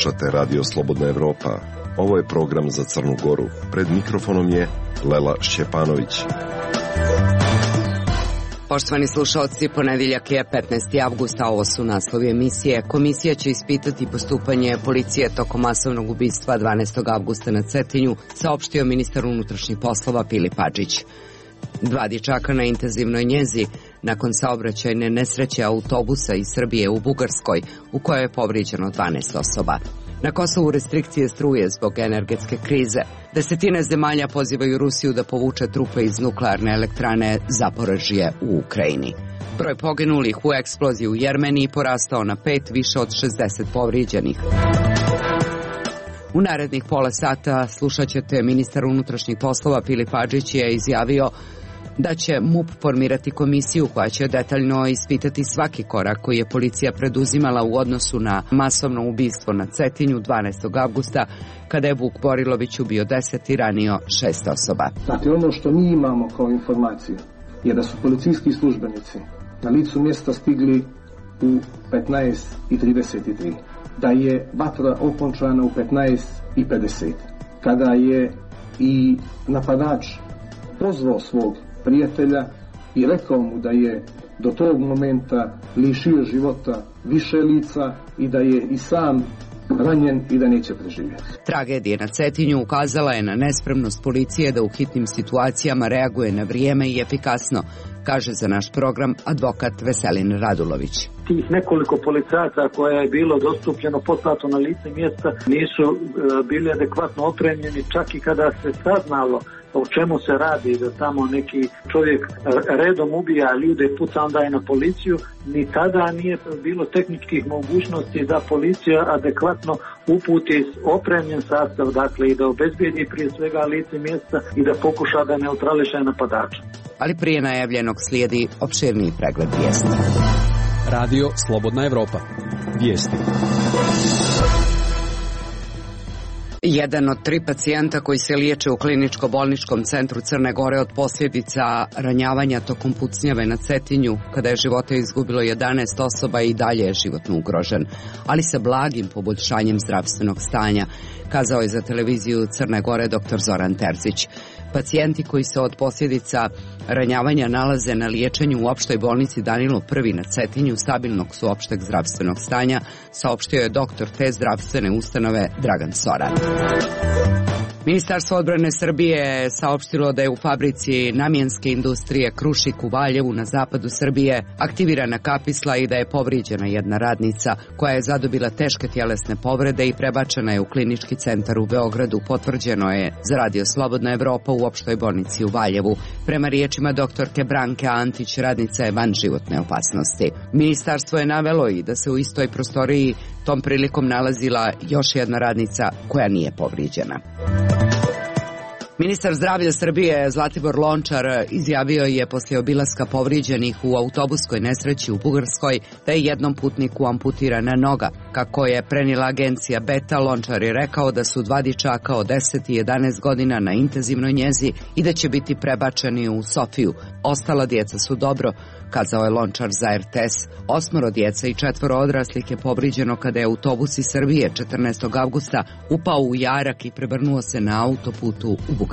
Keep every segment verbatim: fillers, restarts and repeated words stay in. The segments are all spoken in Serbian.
Slušate Radio Slobodna Evropa. Ovo je program za Crnu Goru. Pred mikrofonom je Lela Šćepanović. Poštovani slušalci, ponedeljak je petnaesti avgusta, ovo su naslovi emisije. Komisija će ispitati postupanje policije tokom masovnog ubistva dvanaestog avgusta na Cetinju, saopštio ministar unutrašnjih poslova Filip Hadžić. Dva dječaka na intenzivnoj njezi nakon saobraćajne nesreće autobusa iz Srbije u Bugarskoj, u kojoj je povrijeđeno dvanaest osoba. Na Kosovu restrikcije struje zbog energetske krize. Desetine zemalja pozivaju Rusiju da povuče trupe iz nuklearne elektrane Zaporožje u Ukrajini. Broj poginulih u eksploziji u Jermeniji porastao na pet, više od šezdeset povrijeđenih. U narednih pola sata slušat ćete ministar unutrašnjih poslova Filip Hadžić je izjavio da će M U P formirati komisiju koja će detaljno ispitati svaki korak koji je policija preduzimala u odnosu na masovno ubistvo na Cetinju dvanaestog avgusta, kada je Vuk Borilović ubio deset i ranio šest osoba. Dakle, ono što mi imamo kao informaciju je da su policijski službenici na licu mjesta stigli u petnaest i trideset tri, da je vatra okončana u petnaest i pedeset, kada je i napadač pozvao svog prijatelja i rekao mu da je do tog momenta lišio života više lica i da je i sam ranjen i da neće preživjeti. Tragedija na Cetinju ukazala je na nespremnost policije da u hitnim situacijama reaguje na vrijeme i efikasno, kaže za naš program advokat Veselin Radulović. Tih nekoliko policajaca koje je bilo dostupljeno poslato na lice mjesta nisu e, bili adekvatno opremljeni, čak i kada se saznalo o čemu se radi, da tamo neki čovjek redom ubija ljude i puca onda je na policiju, ni tada nije bilo tehničkih mogućnosti da policija adekvatno uputi opremljen sastav, dakle i da obezbijedi prije svega lice mjesta i da pokuša da neutrališe napadača. Ali prije najavljenog slijedi opširniji pregled vijesti. Radio Slobodna Evropa. Vijesti. Jedan od tri pacijenta koji se liječe u kliničko-bolničkom centru Crne Gore od posljedica ranjavanja tokom pucnjave na Cetinju, kada je živote izgubilo jedanaest osoba, i dalje je životno ugrožen, ali sa blagim poboljšanjem zdravstvenog stanja, kazao je za televiziju Crne Gore doktor Zoran Terzić. Pacijenti koji se od posljedica ranjavanja nalaze na liječenju u opštoj bolnici Danilo Prvi na Cetinju stabilnog su opšteg zdravstvenog stanja, saopštio je doktor te zdravstvene ustanove Dragan Soran. Ministarstvo odbrane Srbije je saopštilo da je u fabrici namjenske industrije Krušik u Valjevu na zapadu Srbije aktivirana kapisla i da je povrijeđena jedna radnica koja je zadobila teške tjelesne povrede i prebačena je u klinički centar u Beogradu, potvrđeno je za Radio Slobodna Evropa u opštoj bolnici u Valjevu. Prema riječima doktorke Branke Antić, radnica je van životne opasnosti. Ministarstvo je navelo i da se u istoj prostoriji tom prilikom nalazila još jedna radnica koja nije povrijeđena. Ministar zdravlja Srbije Zlatibor Lončar izjavio je poslije obilaska povrijeđenih u autobuskoj nesreći u Bugarskoj da je jednom putniku amputirana noga. Kako je prenijela agencija Beta, Lončar je rekao da su dva dječaka od deset i jedanaest godina na intenzivnoj njezi i da će biti prebačeni u Sofiju. Ostala djeca su dobro, kazao je Lončar za R T S. Osmoro djeca i četvoro odraslih je povrijeđeno kada je autobus iz Srbije četrnaestog avgusta upao u jarak i prevrnuo se na autoputu u Bugarskoj.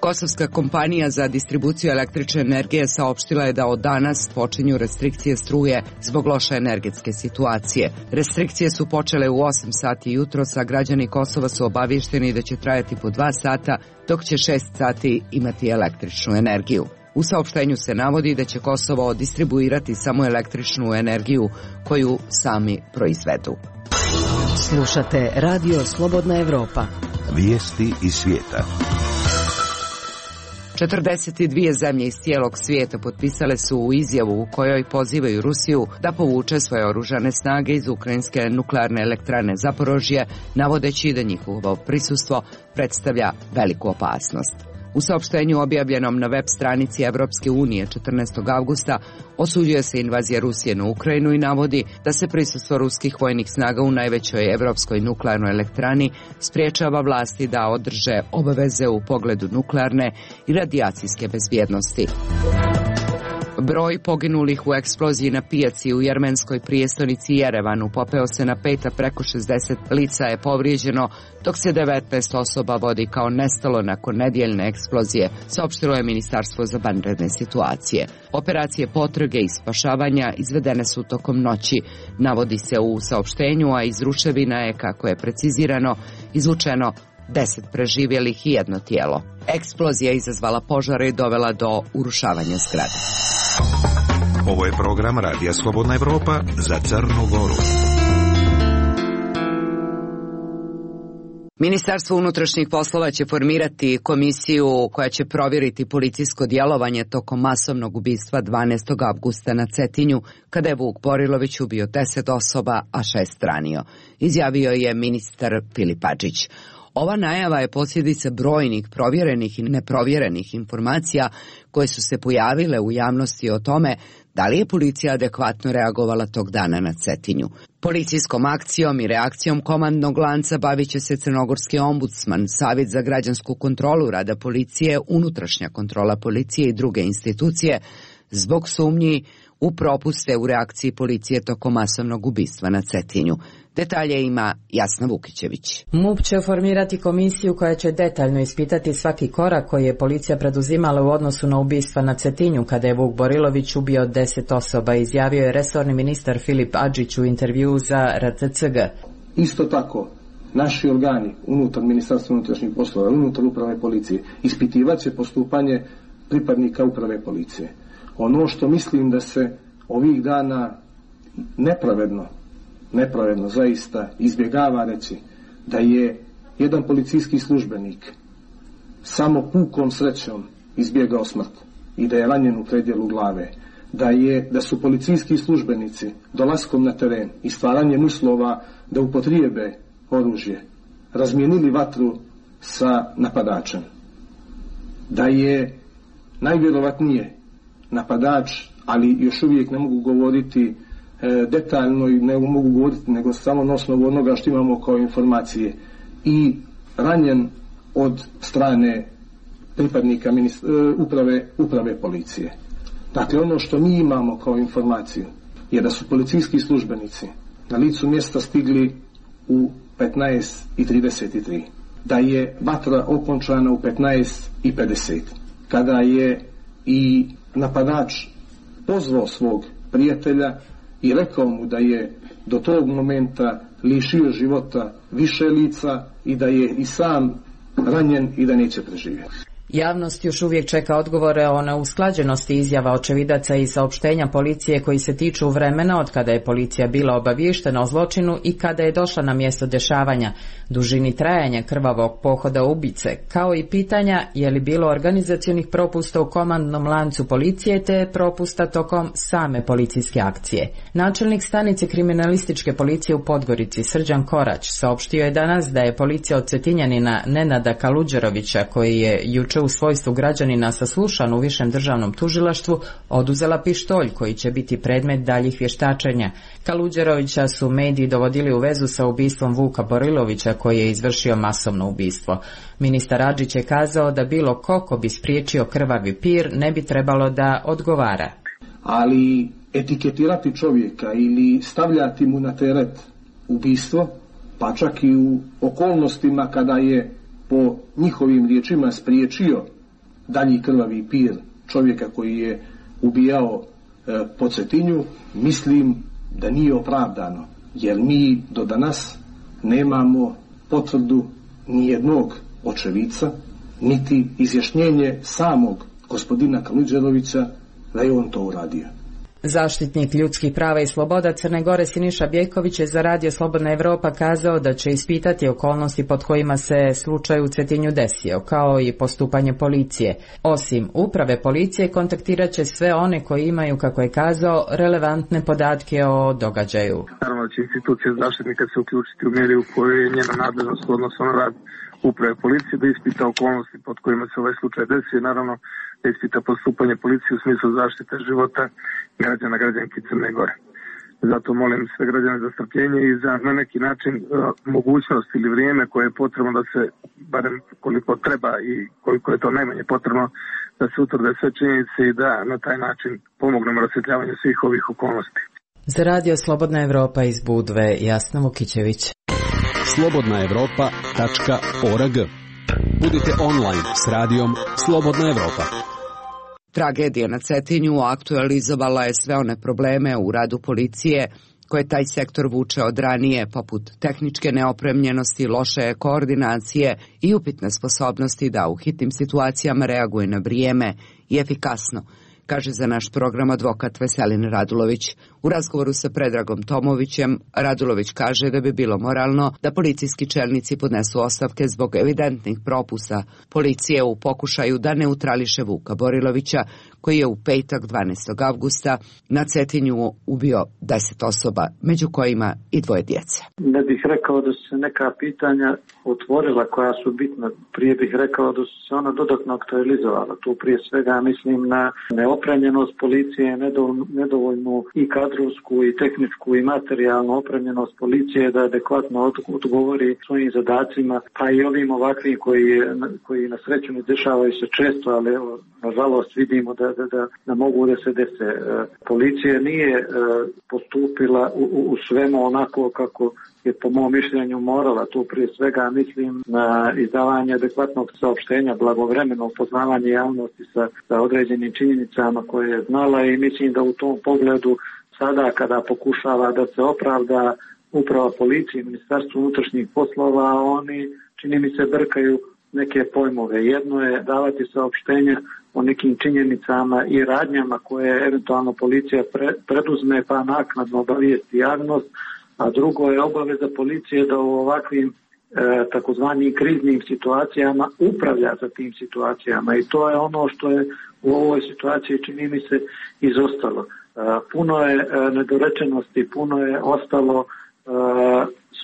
Kosovska kompanija za distribuciju električne energije saopštila je da od danas počinju restrikcije struje zbog loše energetske situacije. Restrikcije su počele u osam sati jutros, a građani Kosova su obavješteni da će trajati po dva sata, dok će šest sati imati električnu energiju. U saopštenju se navodi da će Kosovo distribuirati samo električnu energiju koju sami proizvedu. Slušate Radio Slobodna Evropa. Vijesti iz svijeta. četrdeset dvije zemlje iz cijelog svijeta potpisale su u izjavu u kojoj pozivaju Rusiju da povuče svoje oružane snage iz ukrajinske nuklearne elektrane Zaporožje, navodeći da njihovo prisustvo predstavlja veliku opasnost. U saopštenju objavljenom na web stranici Evropske unije četrnaestog avgusta osuđuje se invazija Rusije na Ukrajinu i navodi da se prisustvo ruskih vojnih snaga u najvećoj evropskoj nuklearnoj elektrani spriječava vlasti da održe obaveze u pogledu nuklearne i radijacijske bezbjednosti. Broj poginulih u eksploziji na pijaci u jermenskoj prijestonici Jerevanu popeo se na pet, a preko šezdeset lica je povrijeđeno, dok se devetnaest osoba vodi kao nestalo nakon nedjeljne eksplozije, saopštilo je Ministarstvo za vanredne situacije. Operacije potrage i spašavanja izvedene su tokom noći, navodi se u saopštenju, a iz ruševina je, kako je precizirano, izvučeno deset preživjelih i jedno tijelo. Eksplozija izazvala požare i dovela do urušavanja zgrade. Ovo je program Radija Slobodna Evropa za Crnu Goru. Ministarstvo unutrašnjih poslova će formirati komisiju koja će provjeriti policijsko djelovanje tokom masovnog ubistva dvanaestog avgusta na Cetinju, kada je Vuk Borilović ubio deset osoba, a šest ranio, izjavio je ministar Filip Adžić. Ova najava je posljedica brojnih provjerenih i neprovjerenih informacija koje su se pojavile u javnosti o tome da li je policija adekvatno reagovala tog dana na Cetinju. Policijskom akcijom i reakcijom komandnog lanca bavit će se crnogorski ombudsman, Savjet za građansku kontrolu rada policije, unutrašnja kontrola policije i druge institucije zbog sumnji u propuste u reakciji policije tokom masovnog ubistva na Cetinju. Detalje ima Jasna Vukićević. MUP će formirati komisiju koja će detaljno ispitati svaki korak koji je policija preduzimala u odnosu na ubistva na Cetinju, kada je Vuk Borilović ubio deset osoba, izjavio je resorni ministar Filip Adžić u intervjuu za R T C G. Isto tako, naši organi unutar Ministarstva unutrašnjih poslova, unutar uprave policije, ispitivat će postupanje pripadnika uprave policije. Ono što mislim da se ovih dana nepravedno, nepravedno zaista izbjegava reći, da je jedan policijski službenik samo pukom srećom izbjegao smrt i da je ranjen u predjelu glave, da, je, da su policijski službenici dolaskom na teren i stvaranjem uslova da upotrijebe oružje razmijenili vatru sa napadačem, da je najvjerovatnije napadač, ali još uvijek ne mogu govoriti e, detaljno i ne mogu govoriti nego samo na osnovu onoga što imamo kao informacije, i ranjen od strane pripadnika ministra, e, uprave, uprave policije. Dakle, ono što mi imamo kao informaciju je da su policijski službenici na licu mjesta stigli u petnaest i trideset tri, da je vatra okončana u petnaest i pedeset, kada je i napadač pozvao svog prijatelja i rekao mu da je do tog momenta lišio života više lica i da je i sam ranjen i da neće preživjeti. Javnost još uvijek čeka odgovore o neusklađenosti izjava očevidaca i saopštenja policije koji se tiču vremena od kada je policija bila obaviještena o zločinu i kada je došla na mjesto dešavanja, dužini trajanja krvavog pohoda ubice, kao i pitanja je li bilo organizacionih propusta u komandnom lancu policije te propusta tokom same policijske akcije. Načelnik stanice kriminalističke policije u Podgorici, Srđan Korać, saopštio je danas da je policija od Cetinjanina Nenada Kaluđerovića, koji je juče u svojstvu građanina saslušan u Višem državnom tužilaštvu, oduzela pištolj koji će biti predmet daljih vještačenja. Kaluđerovića su mediji dovodili u vezu sa ubistvom Vuka Borilovića, koji je izvršio masovno ubistvo. Ministar Adžić je kazao da bilo ko ko bi spriječio krvavi pir ne bi trebalo da odgovara. Ali etiketirati čovjeka ili stavljati mu na teret ubistvo, pa čak i u okolnostima kada je po njihovim riječima spriječio dalji krvavi pir čovjeka koji je ubijao e, po Cetinju, mislim da nije opravdano, jer mi do danas nemamo potvrdu nijednog očevica, niti izjašnjenje samog gospodina Kaluđerovića da je on to uradio. Zaštitnik ljudskih prava i sloboda Crne Gore Siniša Bjejković je za Radio Slobodna Evropa kazao da će ispitati okolnosti pod kojima se slučaj u Cetinju desio, kao i postupanje policije. Osim uprave policije, kontaktirat će sve one koji imaju, kako je kazao, relevantne podatke o događaju. Naravno će institucija zaštitnika se uključiti u mjeri u kojoj je njena nadležnost odnosno na rad uprave policije, da ispita okolnosti pod kojima se ovaj slučaj desio, naravno da ispita postupanje policije u smislu zaštite života građana, građanki Crne Gore. Zato molim sve građane za strpljenje i za na neki način mogućnost ili vrijeme koje je potrebno da se, barem koliko treba i koliko je to najmanje potrebno, da se utvrde sve činjenice i da na taj način pomognemo rasvjetljavanju svih ovih okolnosti. Za radio Slobodna Evropa iz Budve, Jasna Vukićević. slobodna evropa tačka org. Budite online s radijom Slobodna Evropa. Tragedija na Cetinju aktualizovala je sve one probleme u radu policije koje taj sektor vuče od ranije, poput tehničke neopremljenosti, loše koordinacije i upitne sposobnosti da u hitnim situacijama reaguje na vrijeme i efikasno, kaže za naš program advokat Veselin Radulović. U razgovoru sa Predragom Tomovićem, Radulović kaže da bi bilo moralno da policijski čelnici podnesu ostavke zbog evidentnih propusta policije u pokušaju da neutrališe Vuka Borilovića, koji je u petak dvanaestog avgusta na Cetinju ubio deset osoba, među kojima i dvoje djece. Ne bih rekao da su se neka pitanja otvorila koja su bitna, prije bih rekao da su se ona dodatno aktualizovala. Tu prije svega mislim na neopremljenost policije, nedovoljnu i kadrovsku i tehničku i materijalnu opremljenost policije da adekvatno odgovori svojim zadacima, pa i ovim ovakvim koji, koji na sreću ne dešavaju se često, ali evo, nažalost vidimo da Da, da, da mogu da se dese. Policija nije postupila u, u svemu onako kako je po mom mišljenju morala. Tu prije svega mislim na izdavanje adekvatnog saopštenja, blagovremeno upoznavanje javnosti sa, sa određenim činjenicama koje je znala i mislim da u tom pogledu sada kada pokušava da se opravda uprava policije i Ministarstvo unutrašnjih poslova, oni čini mi se brkaju neke pojmove. Jedno je davati saopštenja o nekim činjenicama i radnjama koje eventualno policija pre, preduzme pa naknadno obavijesti javnost, a drugo je obaveza policije da u ovakvim e, takozvanim kriznim situacijama upravlja sa tim situacijama i to je ono što je u ovoj situaciji čini mi se izostalo. E, puno je e, nedorečenosti, puno je ostalo e,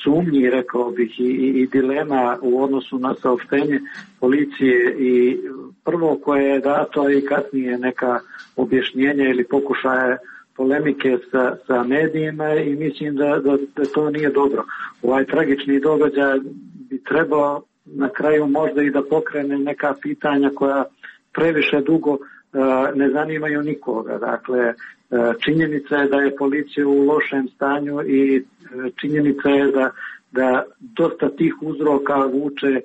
sumnji, rekao bih, i, i dilema u odnosu na saopštenje policije i prvo koje je dato i kasnije neka objašnjenja ili pokušaje polemike sa, sa medijima i mislim da, da, da to nije dobro. Ovaj tragični događaj bi trebao na kraju možda i da pokrene neka pitanja koja previše dugo uh, ne zanimaju nikoga. Dakle, uh, činjenica je da je policija u lošem stanju i uh, činjenica je da, da dosta tih uzroka vuče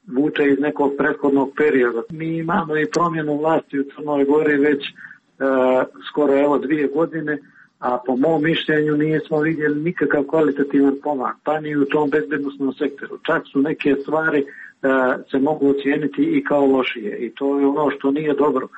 vuče iz nekog prethodnog perioda. Mi imamo i promjenu vlasti u Crnoj Gori već e, skoro evo dvije godine, a po mom mišljenju nismo vidjeli nikakav kvalitativan pomak, pa ni u tom bezbednosnom sektoru. Čak su neke stvari e, se mogu ocijeniti i kao lošije i to je ono što nije dobro.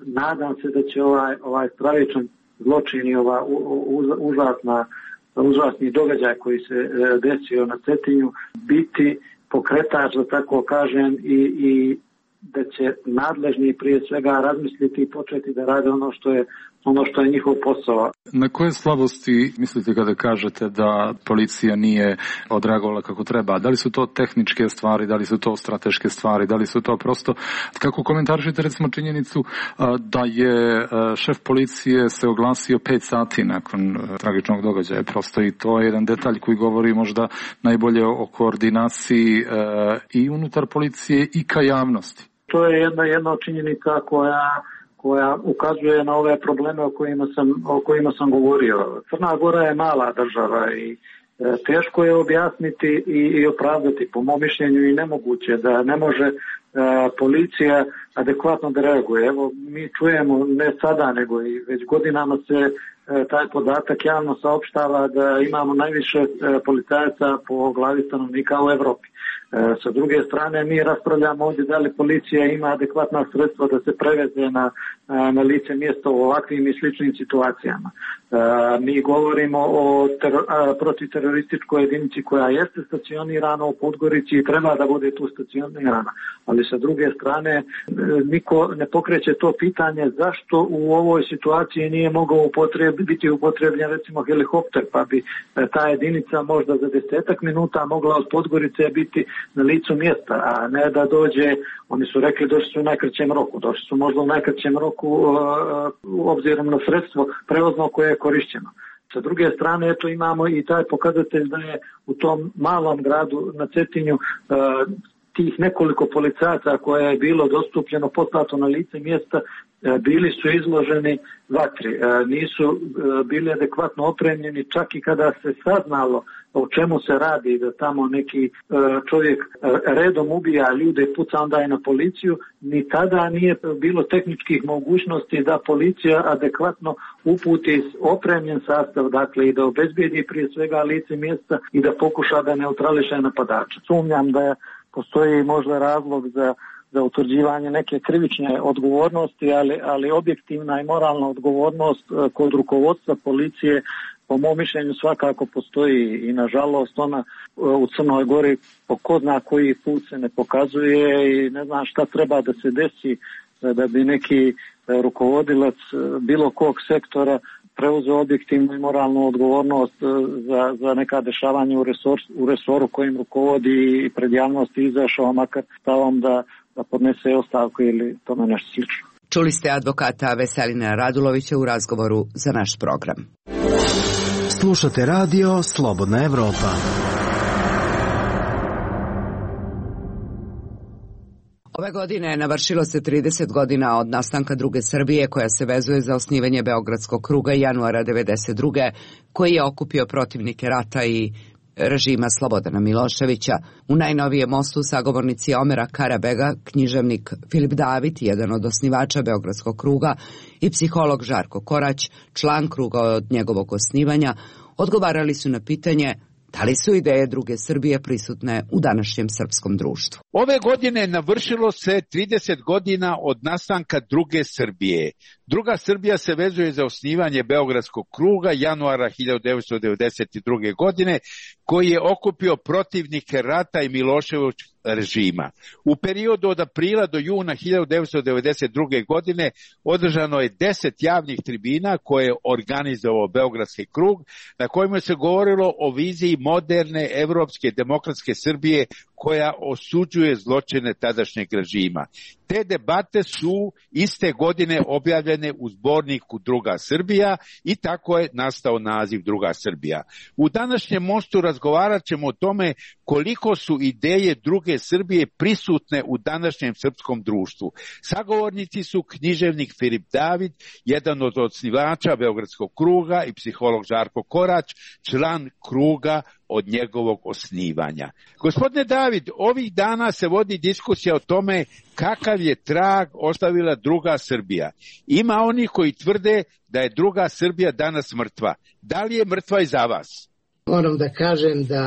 Nadam se da će ovaj, ovaj stravičan zločin i ova u, u, užasna, užasni događaj koji se e, desio na Cetinju biti pokretač, da tako kažem, i, i da će nadležni prije svega razmisliti i početi da rade ono što je ono što je njihov posao. Na koje slabosti mislite kada kažete da policija nije odreagovala kako treba? Da li su to tehničke stvari, da li su to strateške stvari, da li su to prosto... Kako komentarišete recimo činjenicu da je šef policije se oglasio pet sati nakon tragičnog događaja? Prosto i to je jedan detalj koji govori možda najbolje o koordinaciji i unutar policije i ka javnosti. To je jedna, jedna činjenica koja... koja ukazuje na ove probleme o kojima sam, o kojima sam govorio. Crna Gora je mala država i e, teško je objasniti i, i opravdati, po mom mišljenju i nemoguće, da ne može e, policija adekvatno da reaguje. Evo, mi čujemo ne sada, nego i već godinama se e, taj podatak javno saopštava da imamo najviše e, policajaca po glavi stanovnika u Evropi. Sa druge strane, mi raspravljamo ovdje da li policija ima adekvatna sredstva da se preveze na, na lice mjesta u ovakvim i sličnim situacijama. Mi govorimo o teror, protiterorističkoj jedinici koja jeste stacionirana u Podgorici i treba da bude tu stacionirana. Ali sa druge strane, niko ne pokreće to pitanje zašto u ovoj situaciji nije mogao upotreb, biti upotrebljen recimo helikopter, pa bi ta jedinica možda za desetak minuta mogla od Podgorice biti na licu mjesta, a ne da dođe, oni su rekli došli su u najkraćem roku, došli su možda u najkraćem roku uh, obzirom na sredstvo prevozno koje je korišćeno. Sa druge strane, eto, imamo i taj pokazatelj da je u tom malom gradu na Cetinju tih nekoliko policajaca koje je bilo dostupljeno poslato na lice mjesta, bili su izloženi vatri, nisu bili adekvatno opremljeni, čak i kada se saznalo o čemu se radi, da tamo neki čovjek redom ubija ljude i puca onda je na policiju, ni tada nije bilo tehničkih mogućnosti da policija adekvatno uputi opremljen sastav, dakle i da obezbijedi prije svega lice mjesta i da pokuša da neutrališe napadača. Sumnjam da je postoji možda razlog za, za utvrđivanje neke krivične odgovornosti, ali, ali objektivna i moralna odgovornost kod rukovodstva policije po mom mišljenju svakako postoji i nažalost ona u Crnoj Gori po ko zna koji put se ne pokazuje i ne znam šta treba da se desi da bi neki rukovodilac bilo kog sektora preuzeo objektivnu i moralnu odgovornost za, za neka dešavanja u, resor, u resoru kojim rukovodi i pred javnosti izašao makar stavom da, da podnese ostavku ili tome nešto slično. Čuli ste advokata Veselina Radulovića u razgovoru za naš program. Slušate radio Slobodna Evropa. Ove godine navršilo se trideset godina od nastanka druge Srbije koja se vezuje za osnivanje Beogradskog kruga januara devedeset druge koji je okupio protivnike rata i režima Slobodana Miloševića. U najnovijem mostu sagovornici Omera Karabega, književnik Filip David, jedan od osnivača Beogradskog kruga, i psiholog Žarko Korać, član kruga od njegovog osnivanja, odgovarali su na pitanje da li su ideje druge Srbije prisutne u današnjem srpskom društvu. Ove godine navršilo se trideset godina od nastanka druge Srbije. Druga Srbija se vezuje za osnivanje Beogradskog kruga januara hiljadu devetsto devedeset druge. godine, koji je okupio protivnike rata i Miloševićevog režima. U periodu od aprila do juna hiljadu devetsto devedeset druge. godine održano je deset javnih tribina koje je organizovao Beogradski krug, na kojima se govorilo o viziji moderne evropske demokratske Srbije koja osuđuje zločine tadašnjeg režima. Te debate su iste godine objavljene u zborniku Druga Srbija i tako je nastao naziv Druga Srbija. U današnjem mostu razgovarat ćemo o tome koliko su ideje druge Srbije prisutne u današnjem srpskom društvu. Sagovornici su književnik Filip David, jedan od osnivača Beogradskog kruga, i psiholog Žarko Korać, član kruga od njegovog osnivanja. Gospodine David, ovih dana se vodi diskusija o tome kakav je trag ostavila druga Srbija. Ima oni koji tvrde da je druga Srbija danas mrtva. Da li je mrtva i za vas? Moram da kažem da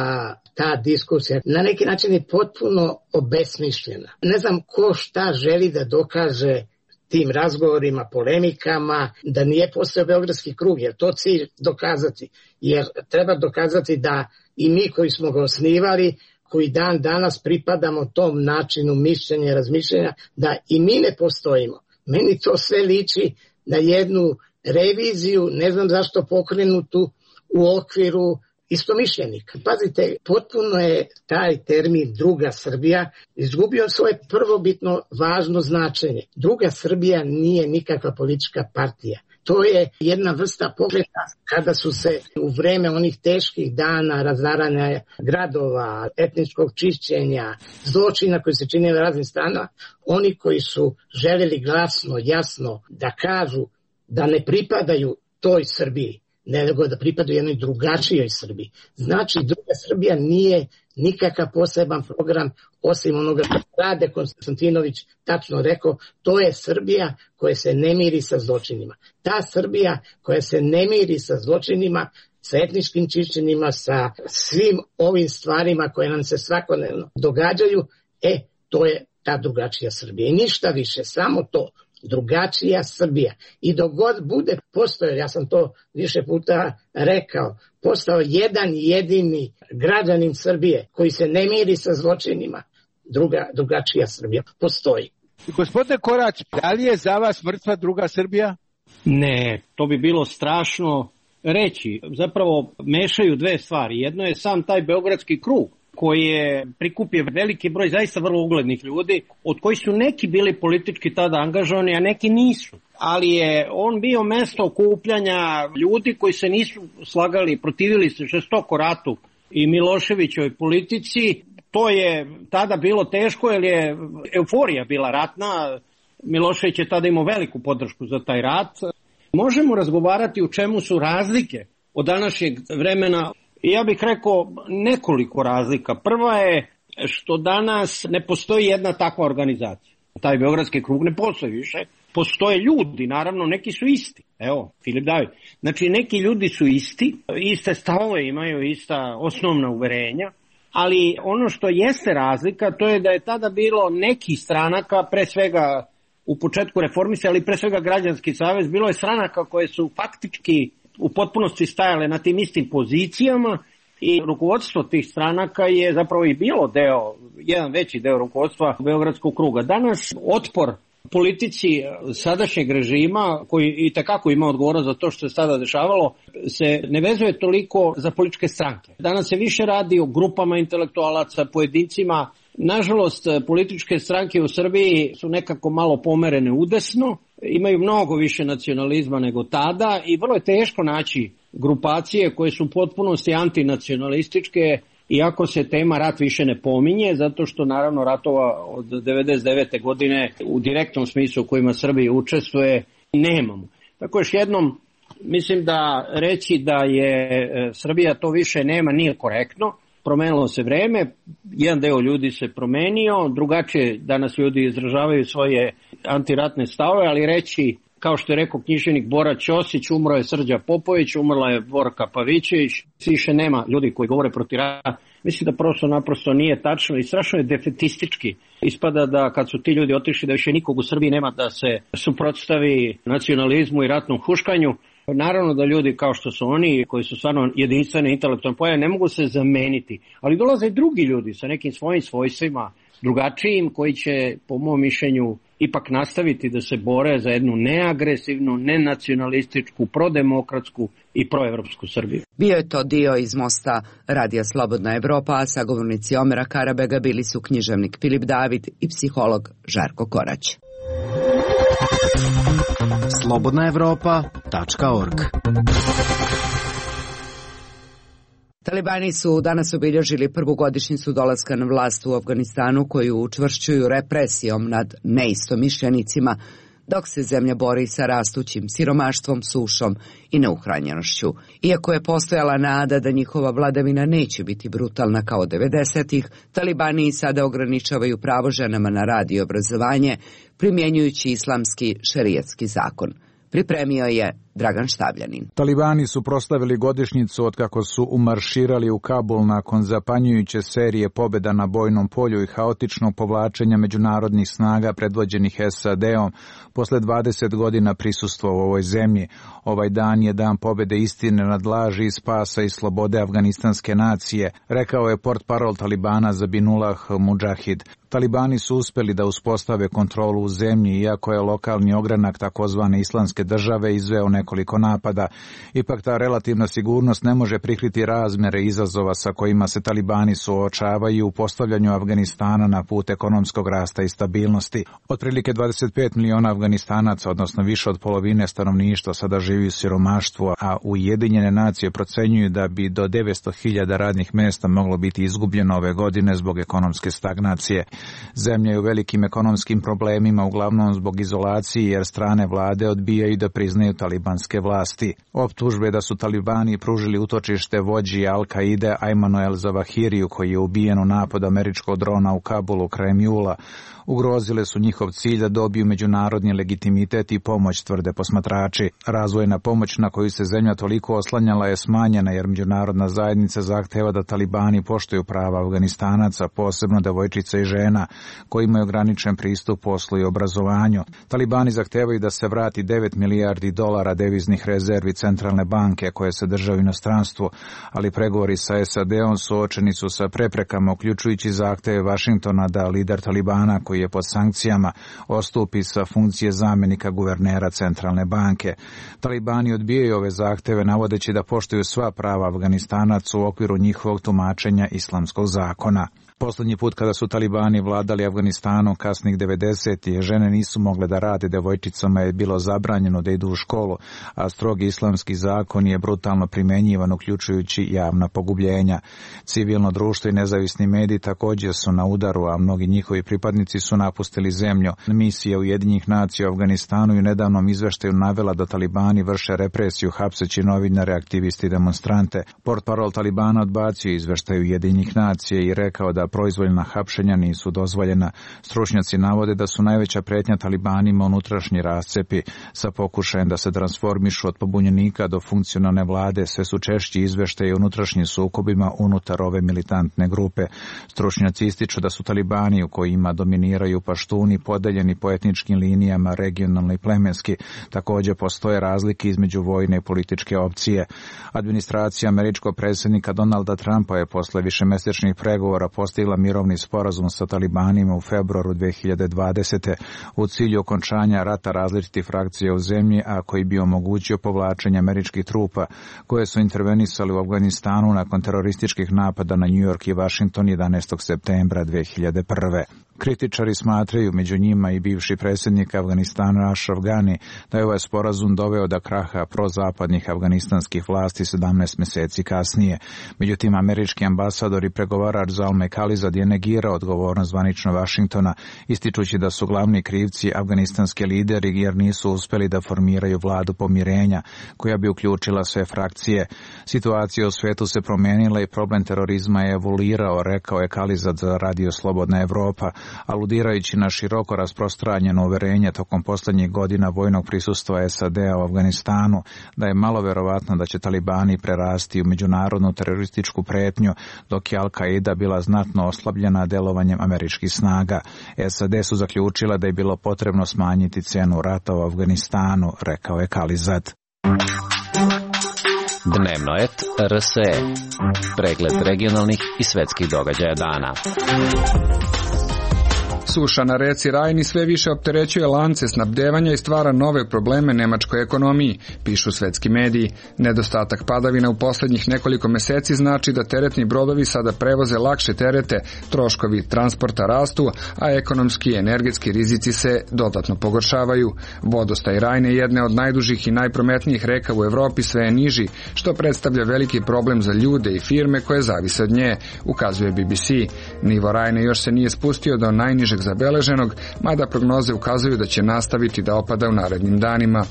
ta diskusija na neki način je potpuno obesmišljena. Ne znam ko šta želi da dokaže tim razgovorima, polemikama, da nije postao Beogradski krug, jer to cilj dokazati. Jer treba dokazati da i mi koji smo ga osnivali, koji dan danas pripadamo tom načinu mišljenja i razmišljenja, da i mi ne postojimo. Meni to sve liči na jednu reviziju, ne znam zašto pokrenutu u okviru istomišljenika. Pazite, potpuno je taj termin druga Srbija izgubio svoje prvobitno važno značenje. Druga Srbija nije nikakva politička partija. To je jedna vrsta pokreta kada su se u vreme onih teških dana razaranja gradova, etničkog čišćenja, zločina koji se čine na raznim stranama, oni koji su željeli glasno, jasno da kažu da ne pripadaju toj Srbiji, nego da pripadaju jednoj drugačijoj Srbiji. Znači, druga Srbija nije nikakav poseban program osim onoga što Rade Konstantinović tačno rekao, to je Srbija koja se ne miri sa zločinima. Ta Srbija koja se ne miri sa zločinima, sa etničkim čišćenjima, sa svim ovim stvarima koje nam se svakodnevno događaju, e, to je ta drugačija Srbija. I ništa više, samo to. Drugačija Srbija. I dok god bude postojao, ja sam to više puta rekao, postao jedan jedini građanin Srbije koji se ne miri sa zločinima, druga, drugačija Srbija postoji. Gospodine Korać, da li je za vas mrtva druga Srbija? Ne, to bi bilo strašno reći. Zapravo mešaju dve stvari. Jedno je sam taj Beogradski krug, koji je prikupio veliki broj zaista vrlo uglednih ljudi, od kojih su neki bili politički tada angažovani, a neki nisu. ali je on bio mesto okupljanja ljudi koji se nisu slagali, protivili se žestoko ratu i Miloševićovoj politici. To je tada bilo teško jer je euforija bila ratna. Milošević je tada imao veliku podršku za taj rat. Možemo razgovarati u čemu su razlike od današnjeg vremena. Ja bih rekao nekoliko razlika. Prva je što danas ne postoji jedna takva organizacija. Taj Beogradski krug ne postoji više. Postoje ljudi, naravno, neki su isti. Evo, Filip David. Znači, neki ljudi su isti, iste stavove imaju, ista osnovna uverenja, ali ono što jeste razlika, to je da je tada bilo nekih stranaka, pre svega u početku reformisanja, ali pre svega Građanski savez, bilo je stranaka koje su faktički u potpunosti stajale na tim istim pozicijama i rukovodstvo tih stranaka je zapravo i bilo deo, jedan veći deo rukovodstva Beogradskog kruga. Danas otpor politici sadašnjeg režima, koji i tekako ima odgovornost za to što se sada dešavalo, se ne vezuje toliko za političke stranke. Danas se više radi o grupama intelektualaca, pojedincima. Nažalost, političke stranke u Srbiji su nekako malo pomerene udesno, imaju mnogo više nacionalizma nego tada i vrlo je teško naći grupacije koje su u potpunosti antinacionalističke, iako se tema rat više ne pominje, zato što naravno ratova od devedeset devete godine u direktnom smislu u kojima Srbija učestvuje nemamo. Tako još jednom mislim da reći da je Srbija to više nema nije korektno. Promenilo se vreme, jedan deo ljudi se promenio, drugačije danas ljudi izražavaju svoje antiratne stavove, ali reći, kao što je rekao književnik Bora Ćosić, umro je Srđa Popović, umrla je Borka Pavićević, više nema ljudi koji govore protiv rata. Mislim da prosto naprosto nije tačno i strašno je defetistički. Ispada da kad su ti ljudi otišli da više nikog u Srbiji nema da se suprotstavi nacionalizmu i ratnom huškanju. Naravno da ljudi kao što su oni, koji su stvarno jedinstvene intelektualne pojave, ne mogu se zameniti. Ali dolaze i drugi ljudi sa nekim svojim svojstvima, drugačijim, koji će, po mom mišljenju, ipak nastaviti da se bore za jednu neagresivnu, nenacionalističku, prodemokratsku i proevropsku Srbiju. Bio je to dio iz mosta Radija Slobodna Evropa, a sagovornici Omera Karabega bili su književnik Filip David i psiholog Žarko Korać. slobodna evropa tačka org. Talibani su danas obilježili prvu godišnjicu dolaska na vlast u Afganistanu, koju učvršćuju represijom nad neistomišljenicima, dok se zemlja bori sa rastućim siromaštvom, sušom i neuhranjenošću. Iako je postojala nada da njihova vladavina neće biti brutalna kao devedesetih, Talibani sada ograničavaju pravo ženama na rad i obrazovanje, primjenjujući islamski šerijatski zakon. Pripremio je Dragan Štavljanin. Talibani su proslavili godišnjicu od kako su umarširali u Kabul nakon zapanjujuće serije pobjeda na bojnom polju i haotičnog povlačenja međunarodnih snaga predvođenih S A D-om posle dvadeset godina prisustva u ovoj zemlji. Ovaj dan je dan pobjede istine nad laži i spasa i slobode afganistanske nacije, rekao je portparol Talibana Zabihullah Mudžahid. Talibani su uspeli da uspostave kontrolu u zemlji, iako je lokalni ogranak takozvane islamske države izveo nekoliko napada. Ipak ta relativna sigurnost ne može prikriti razmere izazova sa kojima se Talibani suočavaju u postavljanju Afganistana na put ekonomskog rasta i stabilnosti. Otprilike dvadeset pet miliona Afganistanaca, odnosno više od polovine stanovništva, sada živi u siromaštvu, a Ujedinjene nacije procenjuju da bi do devetsto hiljada radnih mesta moglo biti izgubljeno ove godine zbog ekonomske stagnacije. Zemlja je u velikim ekonomskim problemima, uglavnom zbog izolacije, jer strane vlade odbijaju da priznaju talibanske vlasti. Optužbe da su Talibani pružili utočište vođi Al-Kaide Ajmanu el-Zawahiriju, koji je ubijen u napadu američkog drona u Kabulu krajem jula, ugrozile su njihov cilj da dobiju međunarodni legitimitet i pomoć, tvrde posmatrači. Razvojna pomoć na koju se zemlja toliko oslanjala je smanjena, jer međunarodna zajednica zahteva da Talibani poštuju prava Afganistanaca, posebno devojčica i žena, koji imaju ograničen pristup poslu i obrazovanju. Talibani zahtevaju da se vrati devet milijardi dolara deviznih rezervi centralne banke koje se drže u inostranstvu, ali pregovori sa S A D-om suočeni su sa preprekama, uključujući zahteve Vašingtona da lider Talibana, koji je pod sankcijama, ostupi sa funkcije zamjenika guvernera centralne banke. Talibani odbijaju ove zahteve, navodeći da poštuju sva prava Afganistanaca u okviru njihovog tumačenja islamskog zakona. Poslednji put kada su talibani vladali Afganistanom kasnih devedesetih, žene nisu mogle da rade, devojčicama je bilo zabranjeno da idu u školu, a strogi islamski zakon je brutalno primenjivan, uključujući javna pogubljenja. Civilno društvo i nezavisni mediji također su na udaru, a mnogi njihovi pripadnici su napustili zemlju. Misija Ujedinjenih nacija u Afganistanu i u nedavnom izveštaju navela da talibani vrše represiju hapseći novinare, aktiviste i demonstrante. Portparol talibana odbacio izveštaju Ujedinjenih nacija i rekao da proizvoljna hapšenja nisu dozvoljena. Stručnjaci navode da su najveća pretnja talibanima unutrašnji rascepi sa pokušajem da se transformišu od pobunjenika do funkcionalne vlade. Sve su češći izveštaji o unutrašnjim sukobima unutar ove militantne grupe. Stručnjaci ističu da su talibani, u kojima dominiraju paštuni, podeljeni po etničkim linijama, regionalno i plemenski. Također postoje razlike između vojne i političke opcije. Administracija američkog predsjednika Donalda Trumpa je posle višemesečnih pregovora postigla mirovni sporazum sa talibanima u februaru dve hiljade dvadesete u cilju okončanja rata različitih frakcija u zemlji, a koji bi omogućio povlačenje američkih trupa koje su intervenisali u Afganistanu nakon terorističkih napada na New York i Washington jedanaestog septembra dve hiljade prve. Kritičari smatraju, među njima i bivši predsjednik Afganistana Ashraf Ghani, da je ovaj sporazum doveo do kraha prozapadnih afganistanskih vlasti sedamnaest mjeseci kasnije. Međutim, američki ambasador i pregovarač Zalmay Khalilzad je negirao odgovornost zvanično Vašingtona, ističući da su glavni krivci afganistanski lideri jer nisu uspjeli da formiraju vladu pomirenja koja bi uključila sve frakcije. Situacija u svijetu se promijenila i problem terorizma je evoluirao, rekao je Khalilzad za Radio Slobodna Evropa, aludirajući na široko rasprostranjeno uverenje tokom posljednjih godina vojnog prisustva S A D-a u Afganistanu da je malo verovatno da će talibani prerasti u međunarodnu terorističku pretnju, dok je Al-Qaida bila znatno oslabljena delovanjem američkih snaga. S A D su zaključila da je bilo potrebno smanjiti cenu rata u Afganistanu, rekao je Khalilzad. Dnevnoet R S E. Pregled regionalnih i svetskih događaja dana. Suša na reci Rajni sve više opterećuje lance snabdevanja i stvara nove probleme nemačkoj ekonomiji, pišu svetski mediji. Nedostatak padavina u posljednjih nekoliko meseci znači da teretni brodovi sada prevoze lakše terete, troškovi transporta rastu, a ekonomski i energetski rizici se dodatno pogoršavaju. Vodostaj Rajne, jedne od najdužih i najprometnijih reka u Evropi, sve je niži, što predstavlja veliki problem za ljude i firme koje zavise od nje, ukazuje B B C. Nivo Rajne još se nije spustio do najnižeg zabeleženog, mada prognoze ukazuju da će nastaviti da opada u narednim danima.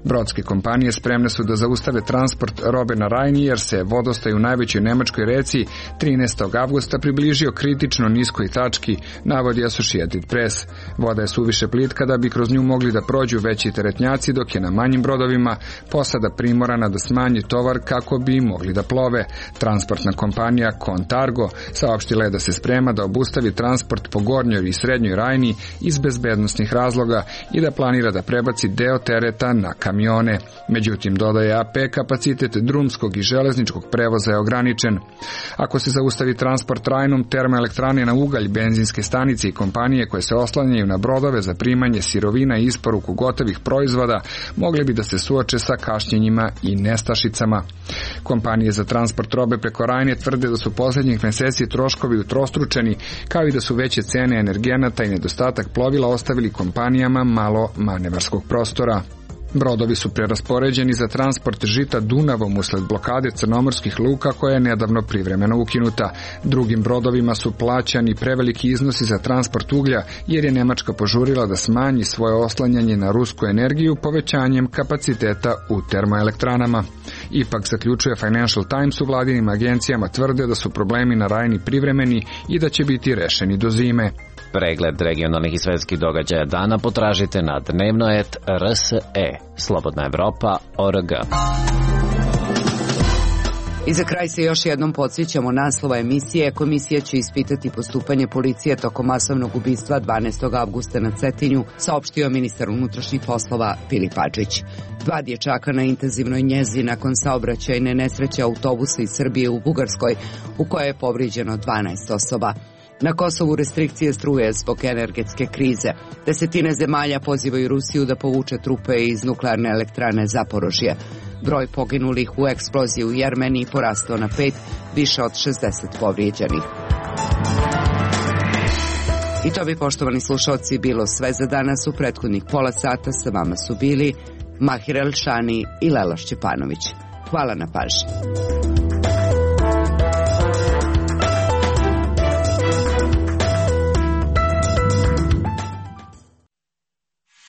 Brodske kompanije spremne su da zaustave transport robe na Rajni jer se vodostaj u najvećoj nemačkoj reci trinaestog avgusta približio kritično niskoj tački, navodi Associated Press. Voda je suviše plitka da bi kroz nju mogli da prođu veći teretnjaci, dok je na manjim brodovima posada primorana da smanji tovar kako bi mogli da plove. Transportna kompanija Contargo saopštila je da se sprema da obustavi transport po gornjoj i srednjoj Rajni iz bezbednosnih razloga i da planira da prebaci deo tereta na kamione. Međutim, dodaje A P, kapacitet drumskog i železničkog prevoza je ograničen. Ako se zaustavi transport Rajnom, termoelektrane na ugalj, benzinske stanice i kompanije koje se oslanjaju na brodove za primanje sirovina i isporuku gotovih proizvoda mogli bi da se suoče sa kašnjenjima i nestašicama. Kompanije za transport robe preko Rajne tvrde da su posljednjih meseci troškovi utrostručeni, kao i da su veće cene energenata i nedostatak plovila ostavili kompanijama malo manevarskog prostora. Brodovi su preraspoređeni za transport žita Dunavom usled blokade crnomorskih luka koja je nedavno privremeno ukinuta. Drugim brodovima su plaćani preveliki iznosi za transport uglja jer je Nemačka požurila da smanji svoje oslanjanje na rusku energiju povećanjem kapaciteta u termoelektranama. Ipak, zaključuje Financial Times, u vladinim agencijama tvrde da su problemi na Rajni privremeni i da će biti rešeni do zime. Pregled regionalnih i svetskih događaja dana potražite na dnevnoet R S E. Slobodna Evropa org. I za kraj se još jednom podsjećamo naslova emisije. Komisija će ispitati postupanje policije tokom masovnog ubistva dvanaestog avgusta na Cetinju, saopštio ministar unutrašnjih poslova Filip Hadžić. Dva dječaka na intenzivnoj njezi nakon saobraćajne nesreće autobusa iz Srbije u Bugarskoj, u kojoj je povrijeđeno dvanaest osoba. Na Kosovu restrikcije struje zbog energetske krize. Desetine zemalja pozivaju Rusiju da povuče trupe iz nuklearne elektrane Zaporožje. Broj poginulih u eksploziji u Jermeniji porastao na pet, više od šezdeset povrijeđenih. I to bi, poštovani slušalci, bilo sve za danas. U prethodnih pola sata sa vama su bili Mahir Elšani i Lela Šćepanović. Hvala na pažnji.